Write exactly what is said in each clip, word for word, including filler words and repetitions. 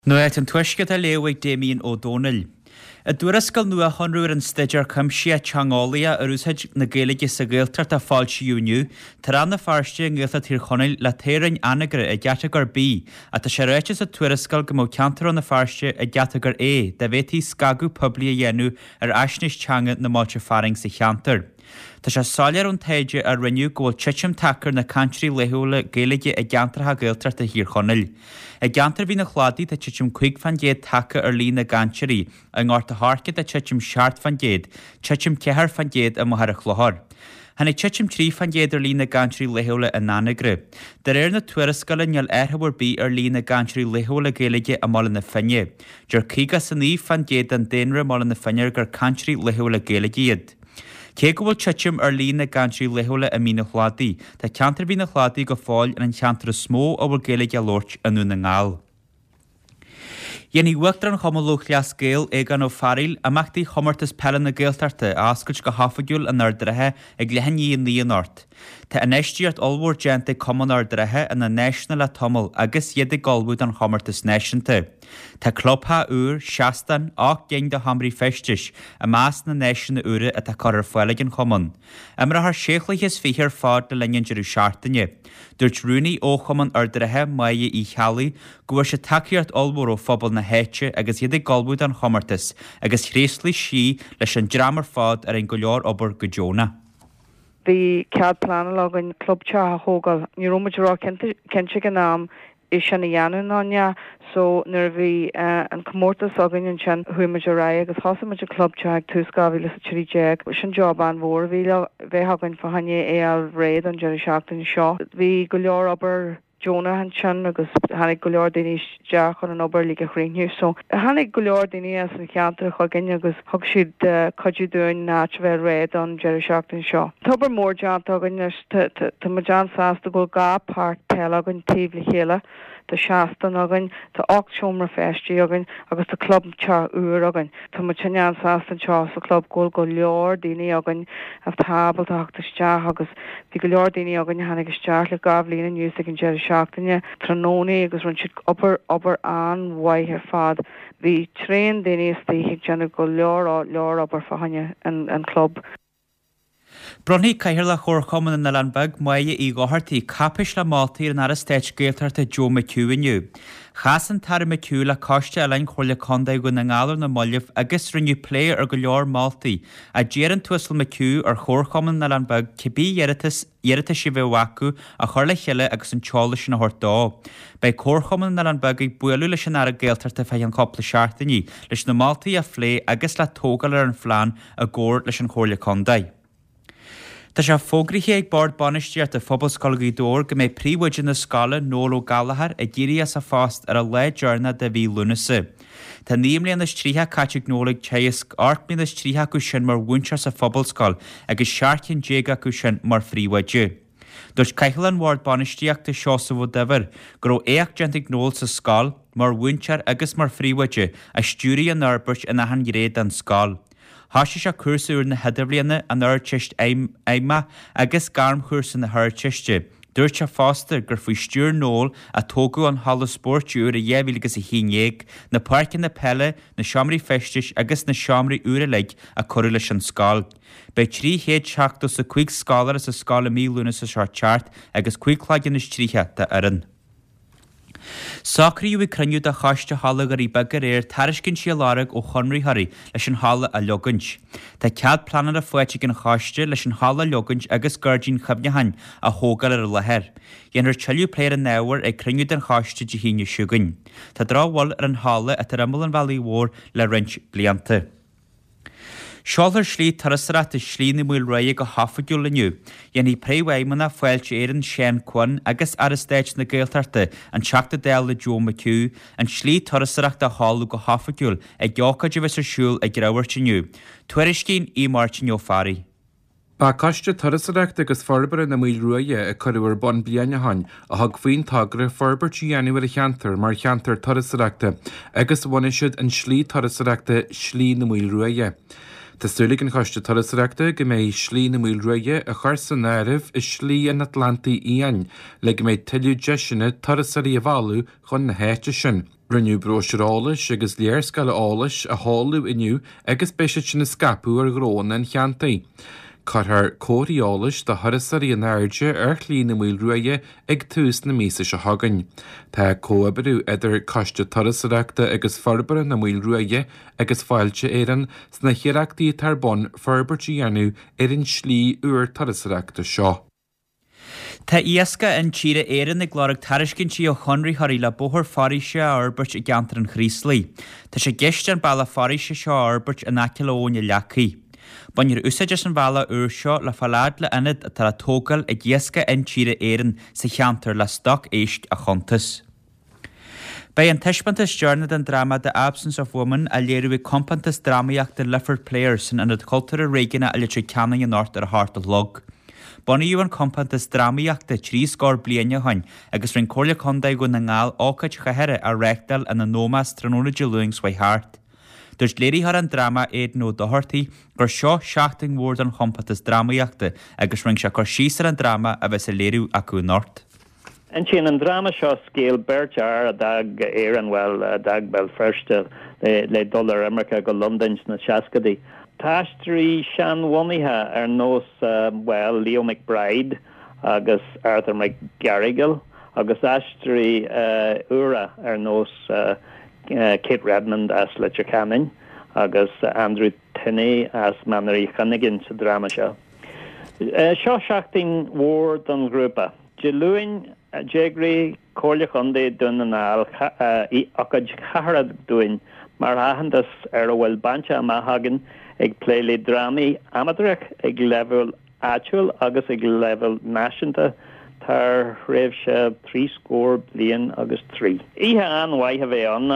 Nuacht an Tuaiscirt á léamh ag Damien Ó Dónaill. I dtuarascáil nua-shonrú ar an staidéar cuimsitheach teangeolaíoch ar úsáid na Gaeilge sa Ghaeltacht a foilsíodh inniu, tá Rann na Feirste i nGaeltacht Thír Chonaill le teorainn Anagaire i gcatagóir B, ach tá sé ráite sa tuarascáil go mbeadh ceantar Rann na Feirste i gcatagóir A dá bhféadfaí scagadh poiblí a dhéanamh ar fhaisnéis teanga na mbailte fearainn sa cheantar. Tá sé soiléir ón taighde a rinneadh go bhfuil titim tagtha ar na cainteoirí laethúla Gaeilge i gceantracha Gaeltachta Thír Chonaill. I gceantar Mhín an Chladaigh tá titim cúig fán gcéad tagtha ar líon na gcainteoirí, i nGort a' Choirce tá titim seacht fán gcéad, titim ceathair fán gcéad i Machaire Chlochair. Tháinig titim trí fán gcéad ar líon na gcainteoirí laethúla in Anagaire. De réir na tuarascála níl athrú ar bith ar líon na gcainteoirí laethúla Gaeilge i mBaile na Finne. Deir caoga is a naoi fán gcéad den daonra i mBaile na Finne gur cainteoirí laethúla Gaeilge iad. Cé go bhfuil titim ar líon na gcainteoirí laethúla i Mín an Chladaigh, tá ceantar Mhín an Chladaigh go fóill ar an cheantar is mó a bhfuil Gaeilge á labhairt i nDún na nGall. Dhéanfaidh Uachtarán Chumann Lúthchleas Gael, Aogán Ó Fearghaíl, imeachtaí Chomórtas Peile na Gaeltachta a oscailt go hoifigiúil in Ard an Rátha ag leath i ndiaidh a naoi anocht. Tá infheistíocht ollmhór déanta ag Cumann Ard an Rátha ina n-áiseanna le tamall agus iad ag ullmhú don chomórtas náisiúnta. Tá clubtheach úr, seastán, ocht gcinn de sheomraí feistis i measc na n-áiseanna úra atá curtha ar fáil ag an chumann. Imreofar sé chluiche is fiche ar fad le linn an deireadh seachtaine. Dúirt Rúnaí Fhochumann Ard an Rátha, Máire Uí Cheallaigh, go bhfuair siad tacaíocht ollmhór ó phobal na háite agus iad ag ullmhú don chomórtas agus thréaslaigh sí leis an dream ar fad a rinne go leor obair go deonach. Bhí cead pleanála againn clubteach a thógáil. Ní raibh muid ró-chinnte ag an am é sin a dhéanamh nó ní, so nuair a bhí an comórtas againn ansin chuaigh muid ar aghaidh agus thosaigh muid an clubteach ag tús dhá mhíle is a trí déag. Sin job an-mhór a bhí le bheith againn fá choinne é a fháil réidh don deireadh seachtaine seo. Bhí go leor obair deonach ansin agus tháinig go leor daoine isteach chun an obair uilig a chríochnú. So tháinig go leor daoine as an cheantar chugainn agus thug siad cuidiú dúinn an áit a bheith réidh don deireadh seachtaine seo. Tá obair mhór déanta againn anois, tá muid an-sásta go bhfuil dhá pháirc peile againn taobh le chéile. Tá seastán againn, tá ocht seomra feistí againn agus tá clubteach úr againn. Tá muid an-sásta anseo sa chlub go bhfuil go leor daoine againn atá ábalta theacht isteach agus bhí go leor daoine againn a tháinig isteach le dhá bhliain anuas ag an deireadh seachtaine tráthnóna agus rinne siad obair obair an-mhaith ar fad. Bhí tréan daoine istigh ag déanamh go leor leor obair fá choinne an an club. Bronnfaidh Cathaoirleach Chomharchumann na nOileán Beag, Máire Uí Dhochartaigh, cáipéis le moltaí ar an Aire Stáit Gaeltachta Joe McHugh inniu. Chas an tAire McHugh le Coiste Oileáin Chomhairle Contae Dhún na nGall ar na mallaibh agus rinneadh plé ar go leor moltaí a d'iarr an tUasal McHugh ar Chomharchumann na nOileán Beag cibé iarratas iarratais a bheadh acu a chur le chéile agus an t-eolas sin a thabhairt dó. Beidh Comharchumann na nOileán Beag ag bualadh leis an Aire Gaeltachta fá cheann cúpla seachtainí leis na moltaí a phlé agus le tógáil ar an phlean i gcomhar leis an Chomhairle Contae. Tá sé fógraithe ag Bord Bainistíochta Phobalscoil Ghaoth Dobhair go mbeidh príomhoide na scoile, Noel Ó Gallchóir, ag éirí as a phost ar an lá deireanach de mhí Lúnasa. Tá naoi mbliana is tríocha caite ag Noel ag teagasc, ocht mbliana is tríocha acu sin mar mhúinteoir sa phobalscoil agus seacht gcinn déag acu sin mar phríomhoide. Dúirt Cathaoirleach an Bhoird Bainistíochta, Seosamh Ó Duibhir, go raibh éacht déanta ag Noel sa scoil, mar mhúinteoir agus mar phríomhoide, a stiúraigh an fhorbairt in achan ghné den scoil. Thosaigh sé cúrsa úr na hIdirbhliana, an Ardteist Fheidhmeach agus gairmchúrsa na hArdteiste. Dúirt sé fosta gur faoi stiúir Noel a tógadh an halla spóirt úr i dhá mhíle agus a haon déag, na páirceanna peile, na seomraí feistis agus na seomraí úra uilig a cuireadh leis an scoil. Beidh trí chéad seachtó is a cúig scoláire sa scoil i mí Lúnasa seo teacht agus cúig chloigeann is tríocha d'fhoireann. Socraíodh ag cruinniú de Choiste Halla Dhoirí Beaga aréir tairiscintí a lorg ó chonraitheoirí leis an halla a leogaint. Tá cead pleanála faighte ag an choiste leis an halla a leogaint agus gairdín chuimhneacháin a thógáil ar an láthair. Dhéanfar tuilleadh plé ar an ábhar ag cruinniú den choiste Dé hAoine seo chugainn. Tá drochbhail ar an halla atá ar imeall an Bhealaigh Mhóir le roinnt blianta. Seolfar slí turasóireachta Slí na Maoilruaidhe go hoifigiúil inniu. Dhéanfaidh Príomhfheidhmeannach Fáilte Éireann, Seán Quinn, agus Aire Stáit na Gaeltachta, an Teachta Dála Joe McHugh, an tslí turasóireachta a sheoladh go hoifigiúil ag ócáid a bheas ar siúl ag Rabhairt inniu. Tuairiscíonn Aodh Máirtín Ó Fearraigh. Ba Coiste Turasóireachta agus Forbartha na Maoilruaidhe a cuireadh ar bun bliain ó shin a thug faoin togra forbairt a dhéanamh ar an cheantar mar cheantar turasóireachta agus bhunaigh siad an slí turasóireachta Slí na Maoilruaidhe. Tá súil ag an Choiste Turasóireachta go mbeidh Slí na Maoilruaidhe á chur san áireamh i Slí an Atlantaigh Fhiáin le go mbeidh tuilleadh deiseanna turasóirí a mhealladh chun na háite sin. Rinneadh bróisiúr eolais agus léarscáil eolais a sheoladh inniu agus beidh siad sin á scaipeadh ar ghnóanna an cheantair. Cuirfear comharthaí eolais do thurasóirí in airde ar Shlí na Maoilruaidhe ag tús na míosa seo chugainn. Tá comhoibriú idir Coiste Turasóireachta agus Forbartha na Maoilruaidhe agus Fáilte Éireann sna hiarrachtaí atá ar bun forbairt a dhéanamh ar an slí úr turasóireachta seo. Tá Iascach Intíre Éireann ag lorg tairiscintí ó chonraitheoirí le bóthar foraoise a fhorbairt i gceantar an Chraoslaigh. Tá sé i gceist an bealach foraoise seo a fhorbairt in aice le Abhainn an Leacaigh. Bainfear úsáid as an bhealach úr seo le fáil fhad le ionad atá le tógáil ag Iascach Intíre Éireann sa cheantar le stoc éisc a chuntas. Beidh an taispeántas deireanach den dráma The Absence of Women á léiriú ag compántas drámaíochta Lifford Players san Ionad Cultúrtha Réigiúnach i Leitir Ceanainn anocht ar a hocht a chlog. Bunaíodh an compántas drámaíochta trí scór bliain ó shin agus rinne Comhairle Contae Dhún na nGall ócáid chathartha á reáchtáil ina n-ómós tráthnóna Dé Luain seo thart. Dúirt léiritheoir an dráma Aidan Ó Dochartaigh gur seo seachtain mhór don chompántas drámaíochta agus rinne sé cur síos ar an dráma a bheas á léiriú acu anocht. Insíonn an dráma seo scéal beirt fhear a d'fhág Éirinn, bhuel, a d'fhág Béal Feirste le dul ar imirce go Londain sna seascaidí. Tá aisteoirí seanbhunaithe ar nós, bhuel, Leo McBride agus Arthur McGarrigle agus aisteoirí úra ar nós Kate Redmond as Leitir Ceanainn agus Andrew Tinney as Mainéar Uí Chuinneagain sa dráma seo. Seo seachtain mhór don ghrúpa. Dé Luain, d'eagraigh Comhairle Chontae Dhún na nGall ócáid chathartha dúinn mar aitheantas ar a bhfuil bainte amach againn ag plé le drámaí amaitéarach ag leibhéal áitiúil agus ag leibhéal náisiúnta thar thréimhse trí scór bliain agus trí. Oíche an-mhaith a bheidh ann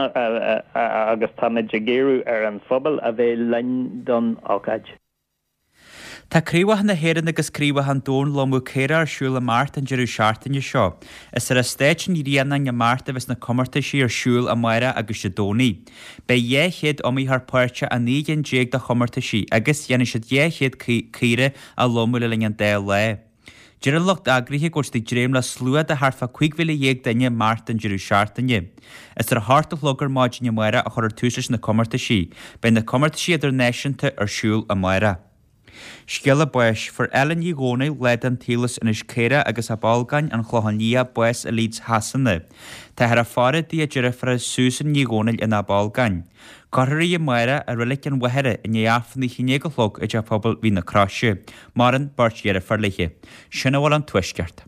agus táimid ag iarraidh ar an phobal a bheith linn don ócáid. Tá Craobhacha na hÉireann agus Craobhacha an Domhain Lomadh Caorach ar siúl i mBeart an deireadh seachtaine seo. Is ar Eastát an Ghrianáin i mBeart a bheas na comórtaisí ar siúl amárach agus Dé Domhnaigh. Beidh dhá chéad iomaitheoir páirteach i naoi gcinn déag de chomórtaisí agus déanfaidh siad dhá chéad caora a lomadh le linn an dá lá. Deir an lucht eagraithe go bhfuil siad ag dréim le slua de thart fá cúig mhíle dhéag duine i mBeart an deireadh seachtaine. Is ar a hocht a chlog ar maidin amárach a chuirfear tús leis na comórtaisí. Beidh na comórtaisí idirnáisiúnta ar siúl amárach. Scéala báis, Fuair Ellen Ní Dhomhnaill, lá den tsaol as Inis Caorach agus Ab Olgáin, An Clochán Liath, bás i Leeds Shasana. Táthar ag faire di a deirfiúr Susan Ní Dhomhnaill in Ab Olgáin. Cuirfear í amárach i Reilig an Mhachaire i ndiaidh Aifreann a haon déag a chlog i dTeach Pobail Mhín na Croise. Maireann beirt dheirfiúr léi. Sin a bhfuil ón Tuaisceart.